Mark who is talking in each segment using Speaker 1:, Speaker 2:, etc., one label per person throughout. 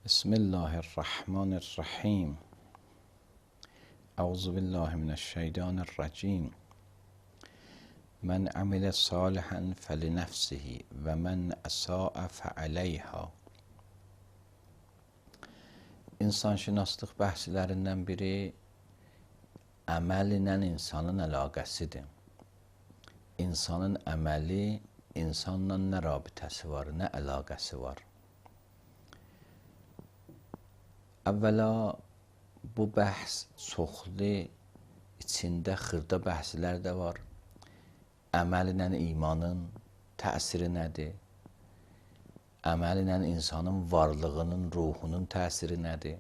Speaker 1: Bismillahirrahmanirrahim. Euzu billahi mineşşeytanirracim. Men amile salihan felinefsihi ve men esa'a fealeyha. İnsanşünaslıq bəhslərindən biri əməl ilə insanın əlaqəsidir. İnsanın əməli insanla nə rabitəsi var, nə əlaqəsi var? Əvvəla bu bəhs çoxlu, içində xırda bəhslər də var. Əməl ilə imanın təsiri nədir? Əməl ilə insanın varlığının, ruhunun təsiri nədir?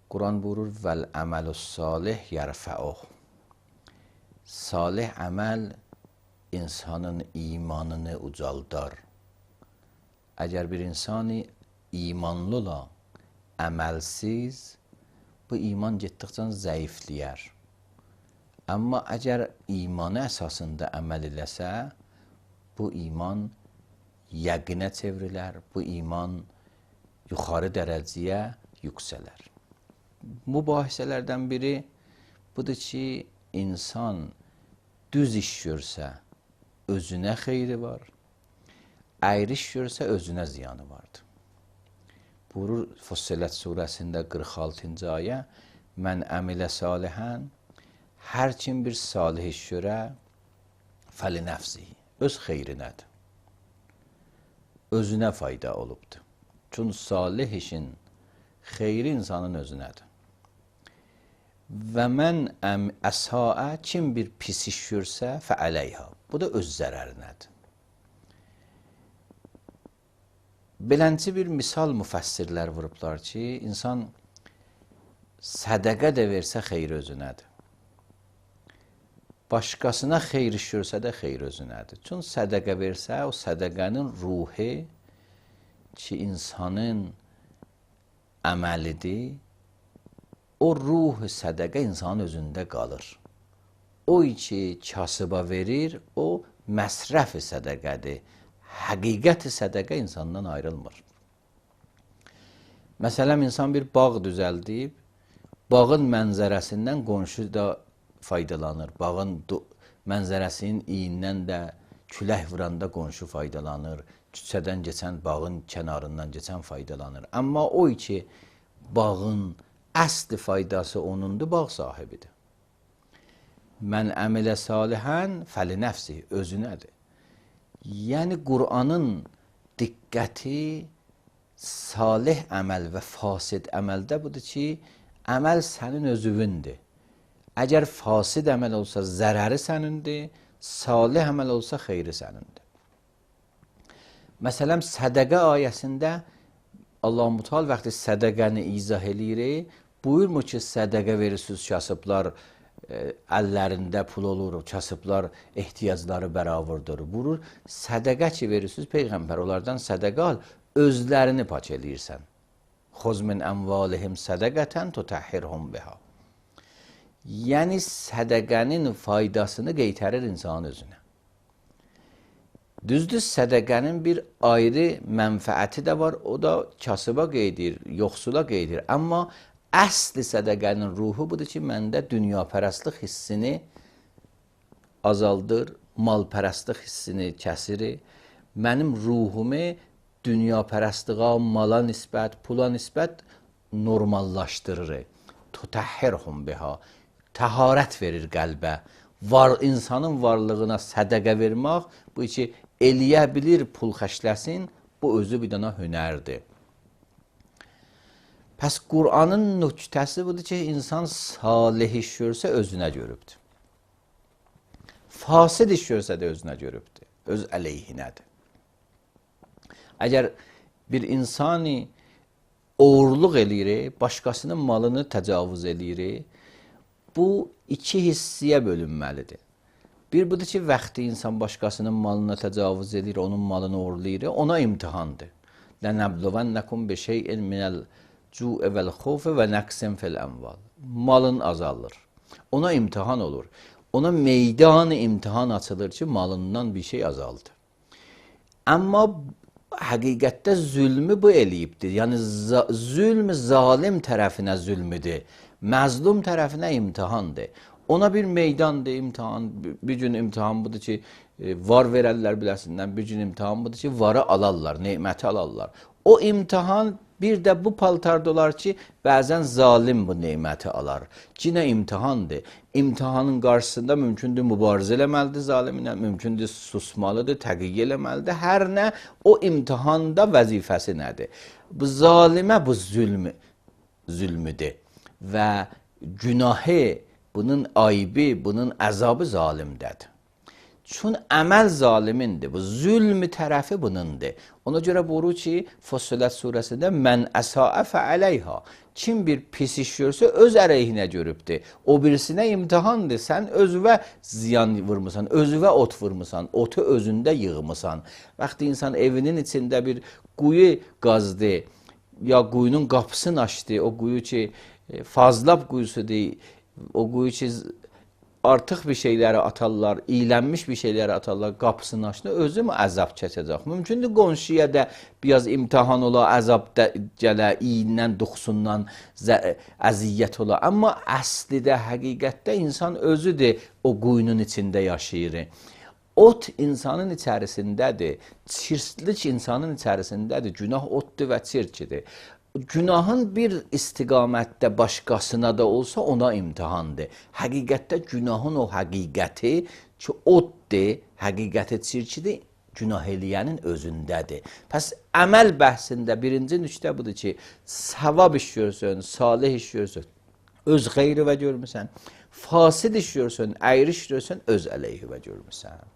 Speaker 1: Quran buyurur, vəl əməlus salih yərfəuh. Salih əməl insanın imanını ucaldar. Əgər bir insani imanlı ola, əməlsiz, bu iman getdikcə zəifləyər. Amma əgər imanı əsasında əməl eləsə, bu iman yəqinə çevrilər, bu iman yuxarı dərəcəyə yüksələr. Mübahisələrdən biri budur ki, insan düz iş görsə, özünə xeyri var, əyri iş görsə, özünə ziyanı vardır. Buyurur Fussilet surəsində 46-cı ayə, mən əmilə salihən, hər kim bir salih iş görə, fəli nəfsihi, öz xeyrinədir. Özünə fayda olubdur. Çünki salih işin xeyri insanın özünədir. Və mən əsaə, kim bir pis iş görsə, fəəleyha, bu da öz zərərinədir. Belənci bir misal müfəssirlər vurublar ki, insan sədəqə də versə xeyri özünədir. Başqasına xeyr iş görsə də xeyri özünədir. Çünki sədəqə versə, o sədəqənin ruhi ki, insanın əməlidir, o ruh sədəqə insanın özündə qalır. O ki, kasıba verir, o məsrəf-i sədəqədir. Həqiqət-i sədəqə insandan ayrılmır. Məsələn, insan bir bağ düzəldib, bağın mənzərəsindən qonşu da faydalanır. Bağın mənzərəsinin iyindən də külək vuranda qonşu faydalanır. Küçədən keçən, bağın kənarından keçən faydalanır. Amma o ki, bağın əsli faydası onundur, bağ sahibidir. Mən əmilə salihən fəli nəfsi, özünədir. Yəni, Qur'anın diqqəti salih əməl və fasid əməldə budur ki, əməl sənin özüvündür. Əgər fasid əməl olsa, zərəri sənindir, salih əməl olsa, xeyri sənindir. Məsələn, sədəqə ayəsində Allah-u Teala vaxtı sədəqəni izah eləyir, buyurmur ki, sədəqə verirsiniz, kasıblar əllərində pul olur, kasıblar ehtiyacları bəravurdur. Buyurur, sədəqə ki verirsiniz, Peyğəmbər onlardan sədəqə al, özlərini pak eləyirsən. Xuz min əmvalihim sədəqətən tutəhhirhum biha. Yəni, sədəqənin faydasını qeytərir insanın özünə. Düzdür, sədəqənin bir ayrı mənfəəti də var, o da kasıba qeydir, yoxsula qeydir. Amma əsli sədəqənin ruhu budur ki, məndə dünyapərəstlik hissini azaldır, malpərəstlik hissini kəsir, mənim ruhumu dünyapərəstliğa, mala nisbət, pula nisbət normallaşdırır. Tutəhhirhum biha, təharət verir qəlbə. İnsanın varlığına sədəqə vermək, bu ki, eləyə bilir, pul xərcləsin, bu özü bir dənə hünərdir. Pəs Qur'anın nöqtəsi budur ki, insan salih iş görsə özünə görübdür. Fasid iş görsə də özünə görübdür, öz əleyhinədir. Əgər bir insani oğurluq eləyir, başqasının malını təcavüz eləyir, bu iki hissiyə bölünməlidir. Bir budur ki, vaxtı insan başqasının malına təcavüz edir, onun malını oğurlayır, ona imtihandır. Lənəbluvənnəkum bi şeyin minəl Cu evvel xofu və nəqsin fil əmval. Malın azalır. Ona imtihan olur. Ona meydanı imtihan açılır ki, malından bir şey azaldı. Amma həqiqətdə zülmü bu eləyibdir. Yəni zülm zalim tərəfinə zülmüdür. Məzlum tərəfinə imtahandır. Ona bir meydandır, imtahan. Bir gün imtahan budur ki, var verərlər biləsindən. Bir gün imtahan budur ki, varı alarlar, neməti alarlar. O imtahan bir də bu paltarda olar ki, bəzən zalim bu neməti alar. Cinə imtahandır. İmtahanın qarşısında mümkündür mübarizə eləməlidir zaliminə, mümkündür susmalıdır, təqiyyə eləməlidir. Hər nə o imtahanda vəzifəsi nədir? Bu zalimə bu zülmüdür və günahı, bunun ayıbı, bunun əzabı zalimdədir. Çün əməl zalimindir. Bu zülm tərəfi bunundur. Ona görə buyurur ki, Fussilet surəsində mən əsaə fəəleyha. Kim bir pis iş görsə öz əleyhinə görübdür. O birisinə imtahandır. Sən özünə ziyan vurmusan, özünə ot vurmusan, otu özündə yığmısan. Vaxtı insan evinin içində bir quyu qazdı, ya quyunun qapısını açdı, o quyu ki fazlab quyusudur, o quyu ki artıq bir şeyləri atarlar, iylənmiş bir şeyləri atarlar, qapısını açdı, özü mü əzab çəkəcək? Mümkündür qonşuya da biraz imtahan ola, əzab gələ, iyindən, duxsundan əziyyət ola. Amma əslidə, həqiqətdə insan özüdür o quyunun içində yaşayır. Ot insanın içərisindədir, çirklik insanın içərisindədir, günah otdur və çirkidir. Günahın bir istiqamətdə başqasına da olsa ona imtihandır. Həqiqətdə günahın o həqiqəti ki, oddur, həqiqəti çirkidir, günah eləyənin özündədir. Pəs əməl bəhsində birinci nüqtə budur ki, savab iş görsün, salih iş görsün, öz xeyri və görmüsən, fasid iş görsün, əyri iş görsün, öz əleyhi və görmüsən.